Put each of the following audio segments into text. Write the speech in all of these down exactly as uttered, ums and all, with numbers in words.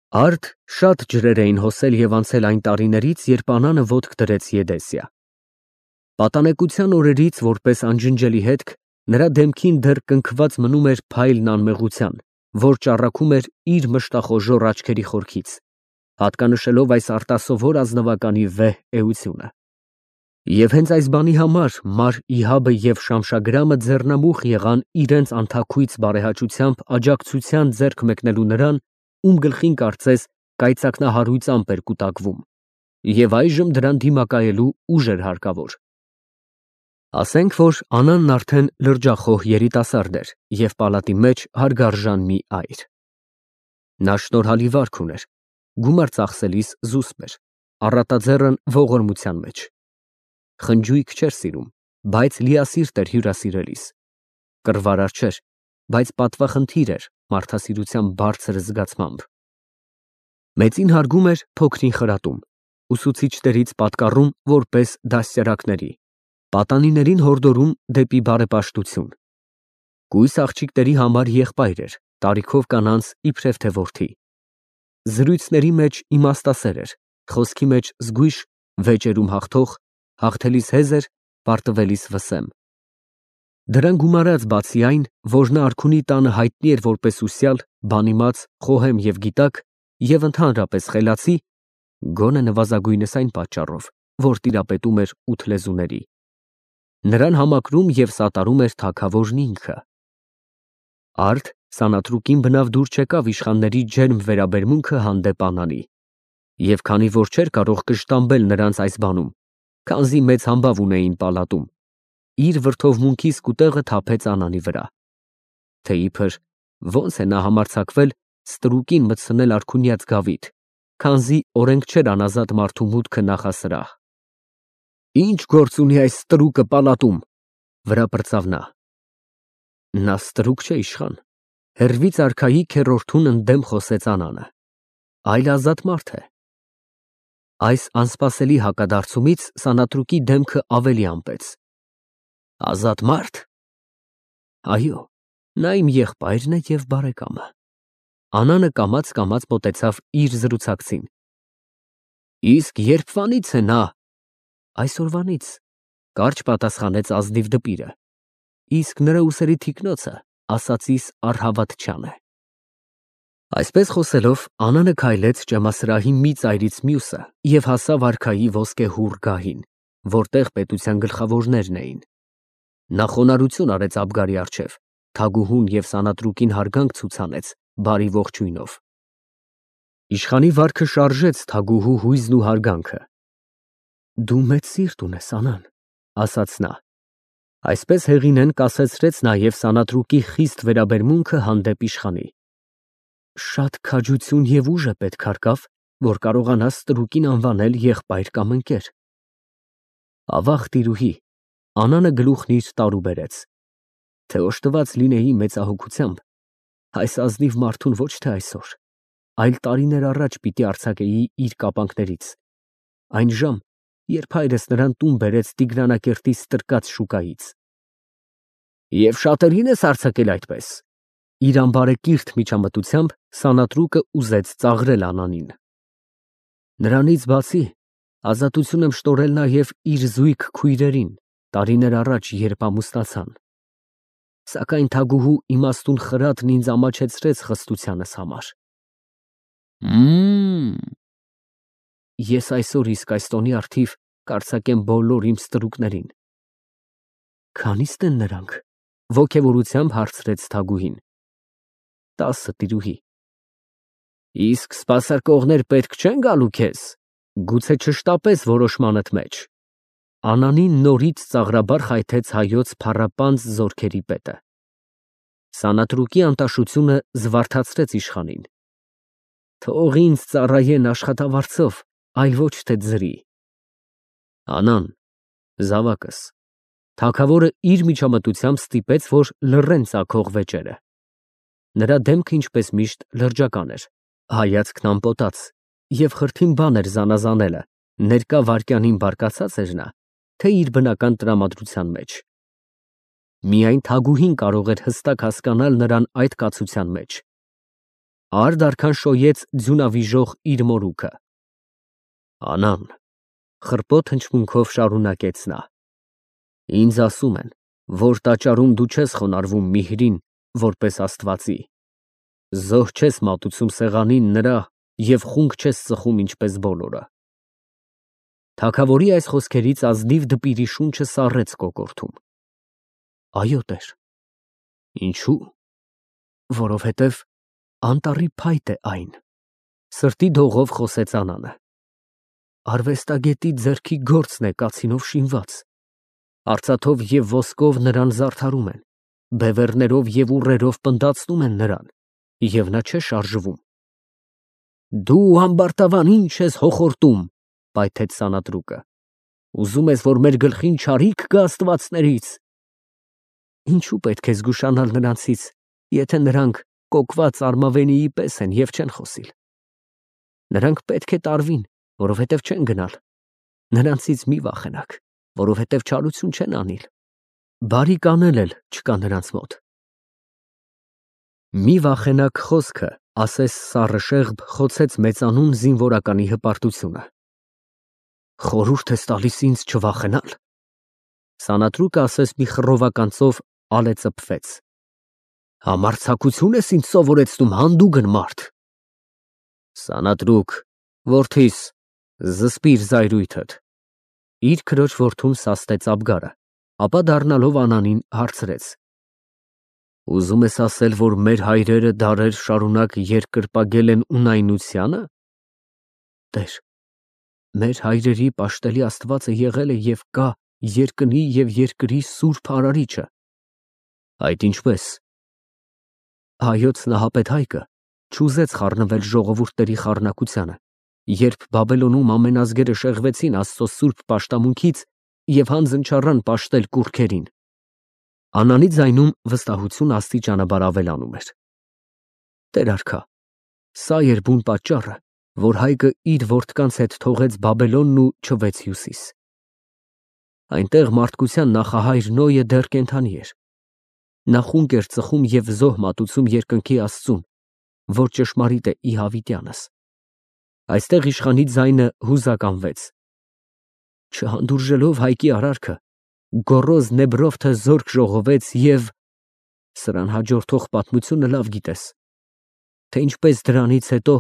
Արդ շատ ջրեր էին հոսել և անցել այն տարիներից, երբ Անանը ոտք դրեց Եդեսիա. պատանեկության օրերից, որպես անջնջելի հետք, նրա դեմքին դեռ կնքված մնում էր փայլն անմեղության, որ ճառագում էր իր մշտախոժոռ աչքերի խորքից, հատկանշելով այս արտասովոր ազնվականի վեհ էությունը։ Եվ հենց այս բանի համար Մար Իհաբը և Շամշագրամը ձեռնամուխ եղան իրենց անթաքույց բարեհաճությամբ աջակցության ձեռք մեկնելու նրան, ում գլխին կարծես կայծակնահարույծամբ էր կուտակվում, և այժմ դրան դիմակայելու ուժ էր հարկավոր։ Ասենք, որ Անանն արդեն լրջախոհ երիտասարդ էր և պալատի մեջ հարգարժան մի այր։ Նա շնորհալի վարք ուներ, գումար ծախսելիս զուսպ էր, առատաձեռն ողորմության մեջ։ Խնջույք չէր սիրում, բայց լիասիրտ էր հյուրասիրելիս, կռվարար չէր, բայց պատվախնդիր էր մարդասիրության բարձր զգացմամբ։ Մեծին հարգում էր, փոքրին խրատում, ուսուցիչներից պատկառում որպես դաստիարակների, պատանիներին հորդորում դեպի բարեպաշտություն։ Կույս աղջիկների համար եղբայր էր, տարիքով կանանց իբրև թե որդի։ Զրույցների մեջ իմաստասեր էր, խոսքի մեջ զգույշ, վեճերում հաղթող, հաղթելիս հեզր, պարտվելիս վսեմ։ Դրան գումարած բացի այն, որ նա արքունի տանը հայտնի էր որպես ուսյալ, բանիմաց, խոհեմ և գիտակ և ընդհանրապես խելացի, գոնե նվազագույնս այն պատճառով, որ տիրապետում էր ութ լեզուների, նրան համակրում և սատարում էր թագավորն ինքը։ Արդ սանատրուկին բնավ դուր չեկավ իշխանների ջերմ վերաբերմունքը հանդեպ Անանի, և քանի որ չէր կարող կշտամբել նրանց այս բանում, քանզի մեծ համբավ ունեին պալատում, իր վրդովմունքի սկուտեղը թափեց Անանի վրա, թե իբր ոնց է նա համարձակվել ստրուկին մտցնել արքունյաց գավիթ, քանզի օրենք չէր անազատ մարդու մուտքը նախասրահ։ Ի՞նչ գործ ունի այս ստրուկը պալատում, վրա պրծավ նա։ Նա ստրուկ չէ, իշխան, հեռվից արքայի քեռորդուն ընդդեմ խոսեց Անանը, այլ ազատ մարդ է։ Այս անսպասելի հակադարձումից սանատրուկի դեմքը ավելի ամպեց։ Ազատ մարդ։ Այո, նա իմ եղբայրն է և բարեկամը։ Անանը կամաց֊կամաց մոտեցավ իր զրուցակցին։ Իսկ երբվանից է նա։ Այսօրվանից, կարճ պատասխանեց ազնիվ դպիրը, իսկ նրա ուսերի թիկնոցը ասածիս առհավատ-չան է։ Այսպես խոսելով, Անանը քայլեց ճեմասրահի մի ծայրից մյուսը և հասավ արքայի ոսկեհուռ գահին, որտեղ պետության գլխավորներն էին։ Նա խոնարհություն արեց Աբգարի առջև, թագուհուն և սանատրուկին հարգանք ցուցանեց բարի ողջույնով։ Իշխանի վարքը շարժեց թագուհու հույզն ու հարգանքը։ Դու մեծ սիրտ ունես, Անան, ասաց նա։ Այսպես հեղինեն կասեցրեց նաև սանատրուկի խիստ վերաբերմունքը հանդեպ իշխանի։ Շատ քաջություն և ուժ է պետք հարկավ, որ կարողանաս ստրուկին անվանել եղբայր կամ ընկեր։ Ավաղ տիրուհի, Անանը գլուխն իր տարու բերեց, թե օժտված լինեի մեծահոգությամբ, այս ազնիվ մարդուն ոչ թե այսօր, այլ տարիներ առաջ պիտի արձակեի իր կապանքներից, այն ժամ, երբ հայրս նրան տուն բերեց Տիգրանակերտի ստրկած շուկայից։ Եվ շատերին ես արձակել այդպես։ Իր անբարեկիրթ միջամտությամբ սանատրուկը ուզեց ծաղրել Անանին։ Նրանից բացի, ազատություն եմ շտորել նաև իր զույգ քույրերին, տարիներ առաջ, երբ ամուսնացան։ Սակայն թագուհու իմաստուն խրատն ինձ ամաչեցրեց խստությանս համար։ Մմ… Ես այսօր իսկ այս տոնի առթիվ կարձակեմ բոլոր իմ ստրուկներին։ Քանի՞ստ են նրանք, ոգևորությամբ հարցրեց թագուհին։ Տասը, տիրուհի։ Իսկ սպասարկողներ պետք չեն գալու քեզ, գուցե չշտապես որոշմանդ մեջ։ Անանին նորից ծաղրաբար խայթեց հայոց փառապանծ զորքերի պետը։ Սանատրուկի անտաշությունը զվարթացրեց իշխանին։ Թող ինձ ծառայեն աշխատավարձով, այլ ոչ թե ձրի։ Անան, զավակս, թագավորը իր միջամտությամբ ստիպեց, որ լռեն ծագող վեճերը։ Նրա դեմքը ինչպես միշտ լրջական էր, հայացքն ամպոտած, և խրթին բան էր զանազանելը, ներկա վայրկյանին բարկացած էր նա, թե իր բնական տրամադրության մեջ։ Միայն թագուհին կարող էր հստակ հասկանալ նրան այդ կացության մեջ։ Արդ արքան շոյեց ձյունավիժող իր մորուքը։ Անան, խռպոտ հնչմունքով շարունակեց նա, ինձ ասում են, որ տաճարում դու չես խոնարհվում Միհրին որպես աստվածի, զոհ չես մատուցում սեղանին նրա և խունկ չես ծխում ինչպես բոլորը։ Թագավորի այս խոսքերից ազնիվ դպիրի շունչը սառեց կոկորդում։ Այո, տեր։ Ինչու՞։ Որովհետև անտառի փայտ է այն, սրտի դողով խոսեց Անանը։ Արվեստագետի ձեռքի գործն է կացինով շինված, արծաթով և ոսկով նրան զարդարում են, բևեռներով և ուռերով պնդացնում են նրան, և նա չէ շարժվում։ Դու ամբարտավան ինչ ես հոխորտում, պայթեց Սանատրուկը, ուզում ես, որ մեր գլխին չարիք գա աստվածներից։ Ինչու պետք է զգուշանալ նրանցից, եթե նրանք կոկված արմավենիի պես են և չեն խոսիլ։ Նրանք պետք է տարվին, որովհետև չեն գնալ, նրանցից մի վախենաք, որովհետև չարություն չեն անիլ, բարիք անել էլ չկա նրանց մոտ։ Մի վախենաք խոսքը, ասես սառը շեղբ, խոցեց մեծանուն զինվորականի հպարտությունը։ Խորհուրդ ես տալիս ինձ չվախենալ։ Սանատրուկը ասես մի խռովական ծով ալեծփվեց։ Համարձակություն ես ինձ սովորեցնում, հանդուգն մարդ։ Սանատրուկ, որդիս, զսպիր զայրույթդ։ Իր քրոջ որդուն սաստեց Աբգարը, ապա դառնալով Անանին հարցրեց. Ուզում ես ասել, որ մեր հայրերը դարեր շարունակ երկրպագել են ունայնությանը։ Տեր, մեր հայրերի պաշտելի Աստվածը եղել է և կա երկնի և երկրի սուրբ արարիչը։ Այդ ինչպես։ Հայոց Նահապետ Հայկը չուզեց խառնվել ժողովուրդների խառնակությանը, երբ Բաբելոնում ամեն ազգերը շեղվեցին Աստծո սուրբ պաշտամունքից և հանձն չառան պաշտել կուռքերին։ Անանի ձայնում վստահություն աստիճանաբար ավելանում էր։ Տեր արքա, սա էր բուն պատճառը, որ Հայկը իր որդկանց հետ թողեց Բաբելոնն ու չվեց հյուսիս։ Այնտեղ մարդկության նախահայր Նոյը դեռ կենդանի էր։ Նա խունկ էր ծխում և զոհ մատուցում երկնքի Աստծուն, որ ճշմարիտ է ի հավիտյանս։ Այստեղ իշխանի ձայնը հուզականվեց։ Չհանդուրժելով Հայկի արարքը, գոռոզ Նեբրովթը զորք ժողովեց և… Սրան հաջորդող պատմությունը լավ գիտես, թե ինչպես դրանից հետո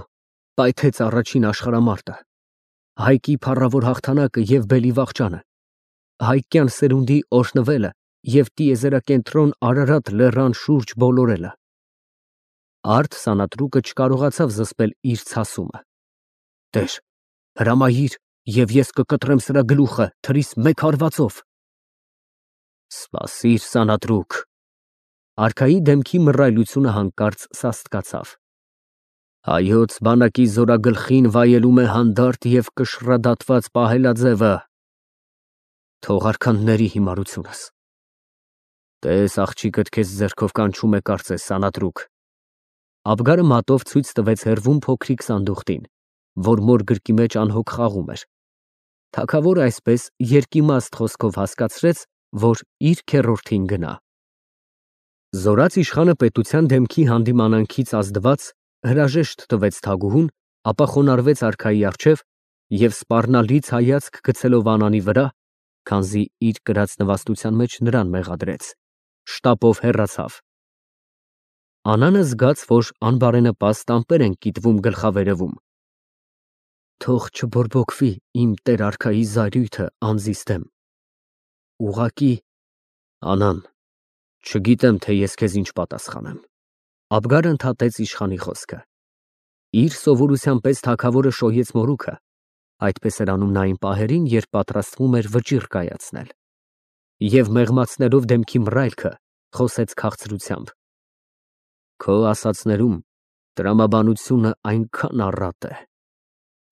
պայթեց առաջին աշխարհամարտը, Հայկի փառավոր հաղթանակը և բելիվախճանը, հայկյան սերունդի օրհնվելը և տիեզերակենտրոն Արարատ լեռան շուրջ բոլորելը։ Արդ Սանատրուկը չկարողացավ զսպել իր ցասումը։ Տեր, հրամայիր, և ես կկտրեմ սրա գլուխը թրիս մեկ հարվածով։ Սպասիր, Սանատրուկ։ Արքայի դեմքի մռայլությունը հանկարծ սաստկացավ։ Հայոց բանակի զորագլխին վայելում է հանդարտ և կշռադատված պահելաձևը։ Թող արքանների հիմարությունս։ Տես, աղջիկդ քեզ ձեռքով կանչում է, կարծես, Սանատրուկ։ Աբգարը մատով ցույց տվեց հեռվում փոքրիկ սանդուղտին, որ մոր գրկի մեջ անհոգ խաղում էր։ Թագավորը այսպես երկիմաստ խոսքով հասկացրեց, որ իր քեռորդին գնա։ Զորաց իշխանը պետության դեմքի հանդիմանանքից ազդված հրաժեշտ տվեց թագուհուն, ապա խոնարհվեց արքայի առջև և սպառնալից հայացք գցելով Անանի վրա, քանզի իր կրած նվաստության մեջ նրան մեղադրեց, շտապով հեռացավ։ Անանը զգաց, որ անբարենպաստ ամպեր են կիտվում գլխավերևում։ Թող չբորբոքվի իմ տեր արքայի զայրույթը անձիս դեմ։ Ուղղակի… Անան, չգիտեմ, թե ես քեզ ինչ պատասխանեմ։ Աբգարը ընդհատեց իշխանի խոսքը։ Իր սովորության պես թագավորը շոյեց մորուքը, այդպես էր անում նա այն պահերին, երբ պատրաստվում էր վճիռ կայացնել, և մեղմացնելով դեմքի մռայլքը, խոսեց քաղցրությամբ. Քո ասածներում տրամաբանությունը այնքան առատ է,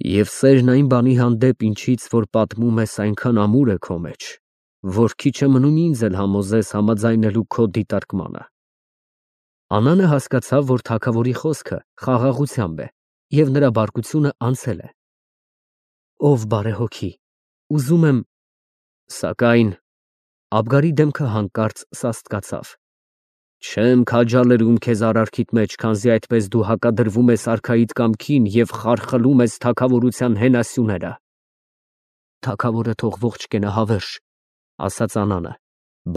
և սերն այն բանի հանդեպ, ինչից որ պատմում ես, այնքան ամուր է քո մեջ, որ քիչ է մնում ինձ էլ համոզես համաձայնելու քո դիտարկմանը։ Անանը հասկացավ, որ թագավորի խոսքը խաղաղությամբ է, և նրա բարկությունը անցել է։ Ով բարեհոգի, ուզում եմ… Սակայն… Աբգարի դեմքը հանկարծ սաստկացավ։ Չեմ քաջալերում քեզ արարքիդ մեջ, քանզի այդպես դու հակադրվում ես արքայիդ կամքին և խարխլում ես թագավորության հենասյուները։ Թագավորը թող ողջ կենա, հավերժ, ասաց Անանը,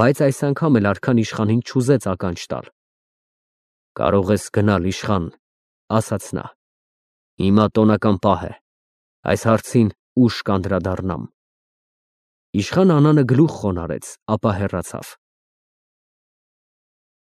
բայց այս անգամ էլ արքան իշխանին չուզեց ականջ տալ։ Կարող ես գնալ, իշխան, ասաց նա։ Հիմա տոնական պահ է, այս հարցին ուշ կանդրադառնամ։ Իշխան Անանը գլուխ խոնարհեց, ապա հեռացավ։